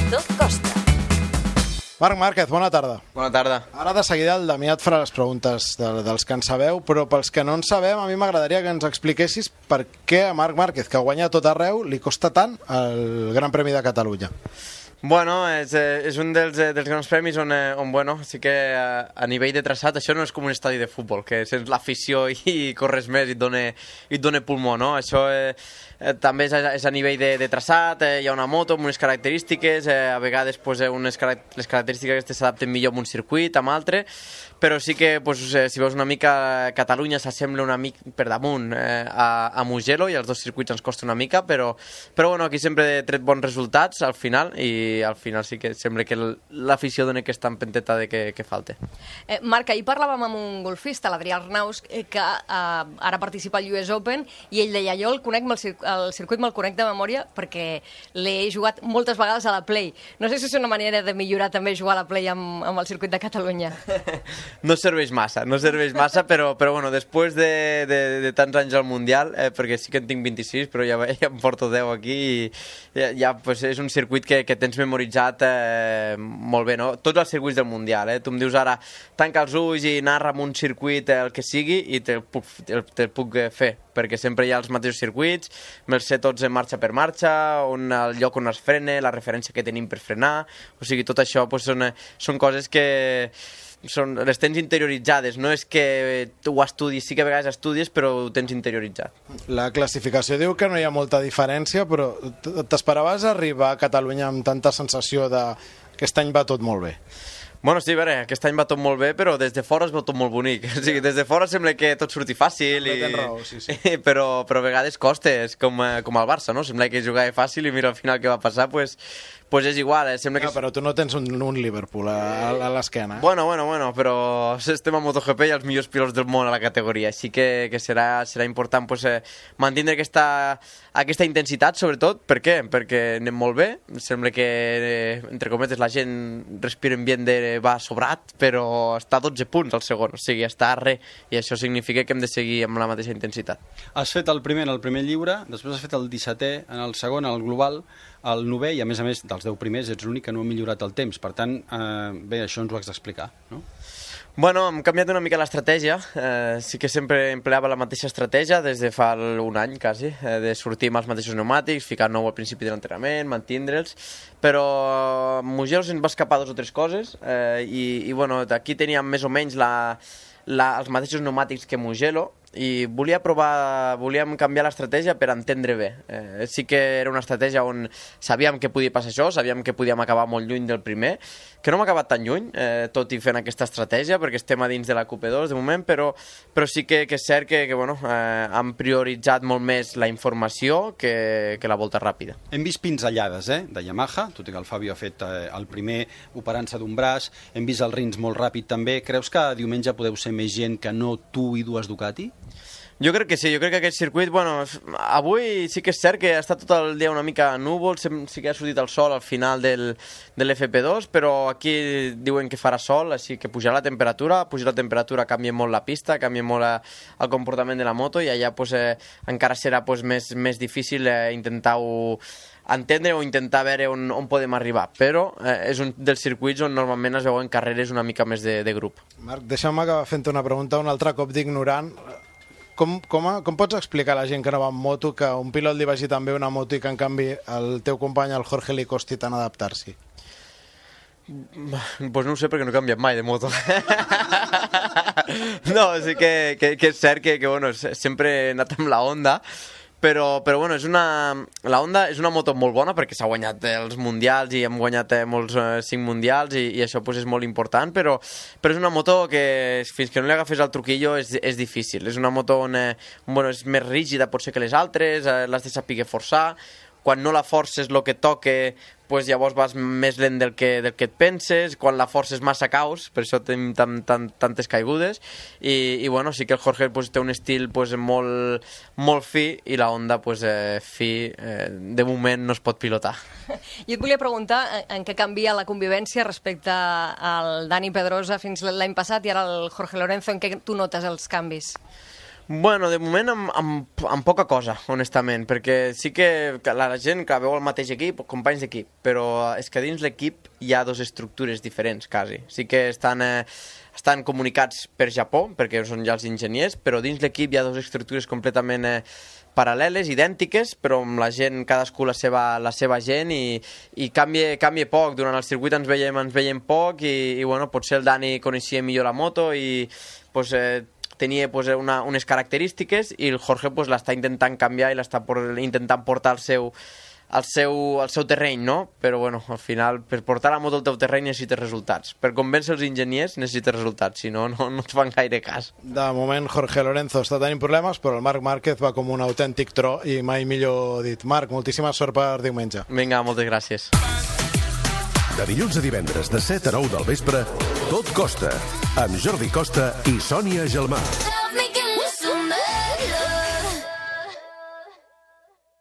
Salvador Costa. Marc Márquez, bona tarda. Bona tarda. Ara de seguida el Damià et farà les preguntes dels que en sabeu, però pels que no en sabem, a mi m'agradaria que ens expliquessis per què a Marc Márquez, que guanya tot arreu, li costa tant el Gran Premi de Catalunya. Bueno, és un dels grans premis on bueno, sí que a nivell de traçat això no és com un estadi de futbol, que sents l'afició i corres més i et dona pulmó, no? Això també és a nivell de traçat, hi ha una moto amb unes característiques, a vegades pues, les característiques aquestes s'adapten millor a un circuit, amb altre, però sí que pues, si veus una mica Catalunya s'assembla una mica per damunt a Mugello i els dos circuits ens costa una mica, però bueno, aquí sempre he tret bons resultats al final i al final sí que sembla que l'afició dona aquesta empenteta de que falta. Marc, ahir parlàvem amb un golfista, l'Adrià Arnaus, que ara participa al US Open i ell deia, jo el circuit me'l conec de memòria perquè l'he jugat moltes vegades a la Play. No sé si és una manera de millorar també jugar a la Play amb el circuit de Catalunya. No serveix massa, però bueno, després de tants anys al Mundial, perquè sí que en tinc 26, però ja em porto 10 aquí i ja pues, és un circuit que tens memoritzat molt bé, no? Tots els circuits del Mundial, tu em dius ara, tanca els ulls i narra amb un circuit el que sigui i te'l puc fer, perquè sempre hi ha els mateixos circuits, me'ls sé tots en marxa per marxa, el lloc on es frena, la referència que tenim per frenar, o sigui, tot això pues, són coses que les tens interioritzades, no és que tu ho estudis, sí que a vegades estudies, però ho tens interioritzat. La classificació diu que no hi ha molta diferència, però t'esperaves arribar a Catalunya amb tanta sensació de que aquest any va tot molt bé? Bueno, sí, a veure, aquest any va tot molt bé, però des de fora es veu tot molt bonic. O sigui, des de fora sembla que tot surti fàcil, tens raó, sí. però a vegades costa, és com al Barça, no? Sembla que jugava fàcil i mira al final què va passar, pues és igual, sembla que... Però tu no tens un Liverpool a l'esquena. Bueno, però estem a MotoGP i els millors pilots del món a la categoria, així que serà important pues, mantenir aquesta intensitat, sobretot. Per què? Perquè anem molt bé, sembla que, entre cometes, la gent respira ambient va sobrat, però està a 12 punts al segon, o sigui, està a res, i això significa que hem de seguir amb la mateixa intensitat. Has fet el primer en el primer lliure, després has fet el 17è en el segon, en el global, el 9è, i a més dels 10 primers ets l'únic que no ha millorat el temps. Per tant, bé, això ens ho has d'explicar, no? Bueno, hem canviat una mica l'estratègia, sí que sempre empleava la mateixa estratègia des de fa un any, quasi, de sortir amb els mateixos pneumàtics, ficar nou al principi de l'entrenament, mantindre'ls, però a Mugello se'n va escapar 2 o 3 coses i bueno, aquí teníem més o menys els mateixos pneumàtics que Mugello i volíem canviar l'estratègia per entendre bé. Sí que era una estratègia on sabíem que podia passar això, sabíem que podíem acabar molt lluny del primer, que no hem acabat tan lluny, tot i fent aquesta estratègia, perquè estem a dins de la QP2 de moment, però sí que és cert que bueno, han prioritzat molt més la informació que la volta ràpida. Hem vist pinzellades de Yamaha, tot i que el Fabio ha fet el primer operant-se d'un braç, hem vist el Rins molt ràpid també. Creus que diumenge podeu ser més gent que no tu i dues Ducati? Jo crec que sí, jo crec que aquest circuit, bueno, avui sí que és cert que ha estat tot el dia una mica núvol, sí que ha sortit el sol al final de l'FP2, però aquí diuen que farà sol, així que pujarà la temperatura, canvia molt la pista, canvia molt el comportament de la moto i allà pues, encara serà pues, més difícil intentar-ho entendre o intentar veure on podem arribar, però és un dels circuits on normalment es veuen carreres una mica més de grup. Marc, deixa'm acabar fent una pregunta un altre cop d'ignorant. Com pots explicar a la gent que no va amb moto que un pilot li vagi tan bé una moto i que en canvi el teu company, el Jorge, li costi tant adaptar-s'hi? Pues no ho sé perquè no he canviat mai de moto. No, sí que és cert que bueno, sempre he anat amb la Honda, però bueno, la Honda és una moto molt bona perquè s'ha guanyat els mundials i hem guanyat molts 5 mundials i això pues, és molt important, però és una moto que fins que no li agafes el truquillo és difícil. És una moto on bueno, és més rígida potser que les altres, l'has de saber forçar, quan no la forces el que toque pues llavors vas més lent del que et penses, quan la forces massa caus, per això tenim tantes caigudes, i bueno, sí que el Jorge pues, té un estil pues, molt fi, i la Honda pues, fi, de moment no es pot pilotar. Jo et volia preguntar en què canvia la convivència respecte al Dani Pedrosa fins l'any passat i ara el Jorge Lorenzo, en què tu notes els canvis? Bueno, de moment amb poca cosa, honestament, perquè sí que la gent que veu el mateix equip, companys d'equip, però és que dins l'equip hi ha dues estructures diferents, quasi. Sí que estan comunicats per Japó, perquè són ja els enginyers, però dins l'equip hi ha dues estructures completament paral·leles, idèntiques, però amb la gent, cadascú la seva gent, i canvia poc. Durant el circuit ens veiem poc, i bueno, potser el Dani coneixia millor la moto, i pues, tenia pues, unes característiques, i el Jorge pues, l'està intentant canviar i l'està intentant portar al seu terreny, no? Però bueno, al final, per portar la moto al teu terreny necessites resultats. Per convèncer els enginyers necessites resultats, si no, no et fan gaire cas. De moment Jorge Lorenzo està tenint problemes, però el Marc Márquez va com un autèntic tro, i mai millor dit. Marc, moltíssima sort per diumenge. Vinga, moltes gràcies. De dilluns a divendres, de 7 a 9 del vespre, Tot Costa, amb Jordi Costa i Sònia Gelmà.